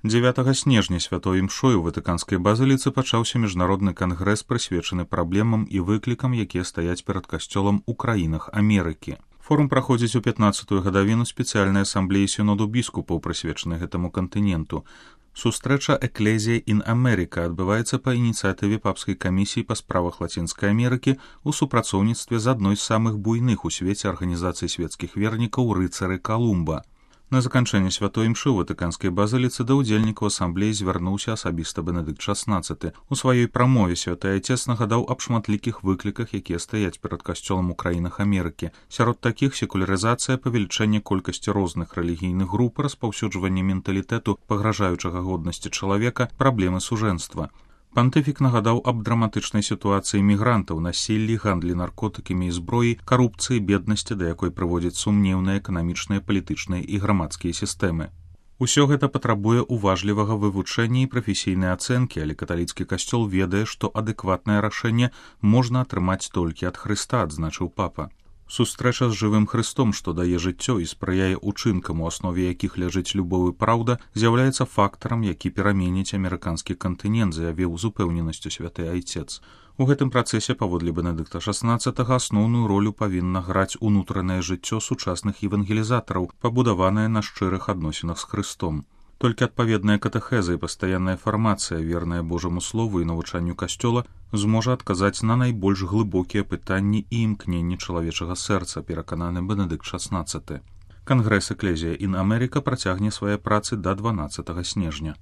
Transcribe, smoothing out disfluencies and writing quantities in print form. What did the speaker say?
9 снежня святой імшой у Ватыканскай базыліцы пачаўся міжнародны кангрэс, прысвечаны праблемам і выклікам, якія стаяць перад касцёлам у краінах Амерыкі. Форум праходзіць у 15-ю гадавіну спецыяльнай асамблеі сіноду біскупаў, прысвечанай гэтаму кантыненту. Сустрэча «Экклезія ін Америка» адбываецца па ініцыятыве папскай камісіі па справах Лацінскай Амерыкі ў супрацоўніцтве з адной з самых буйных у свеце арганізацый свецкіх вернікаў «Рыцары Калумба». На заканчэнне святой імшы ў Ватыканскай базыліцы да ўдзельнікаў асамблеі звярнуўся асабіста Бенедыкт XVI. У сваёй прамове святы айцец нагадаў аб шматлікіх выкліках, якія стаяць перад касцёлам у краінах Амерыкі. Сярод такіх секулярызацыя, павелічэнне колькасці розных рэлігійных груп, распаўсюджванне менталітэту, пагражаючага годнасці чалавека, праблемы сужэнства. Пантыфік нагадаў аб драматычнай сітуацыі мігрантаў, насіллі, гандлі наркотыкамі і зброі, карупцыі, беднасці, да якой прыводзяць сумнеўныя эканамічныя, палітычныя і грамадскія сістэмы. Усё гэта патрабуе уважлівага вывучэння і прафесійнай ацэнкі, але каталіцкі касцёл ведае, што адэкватнае рашэнне можна атрымаць толькі ад Хрыста, адзначыў папа. Сустрэча з жывым Хрыстом, што дае жыццё і спрыяе учынкам, у аснове якіх ляжыць любоў і праўда, з'яўляецца фактарам, які пераменіць амерыканскі кантынент, заявіў з упэўненасцю святы айцец. У гэтым працэсе, паводле Бенедыкта XVI, асноўную ролю павінна граць унутранае жыццё сучасных евангелізатараў, пабудаванае на шчырых адносінах з Хрыстом. Толькі адпаведная катэхеза і пастаянная фармацыя, верная Божаму слову і навучанню касцёла, зможа адказаць на найбольш глыбокія пытанні і імкненні чалавечага сэрца, перакананы Бенедыкт XVI. Кангрэс «Экклезія ін Америка» працягне свае працы да 12 снежня.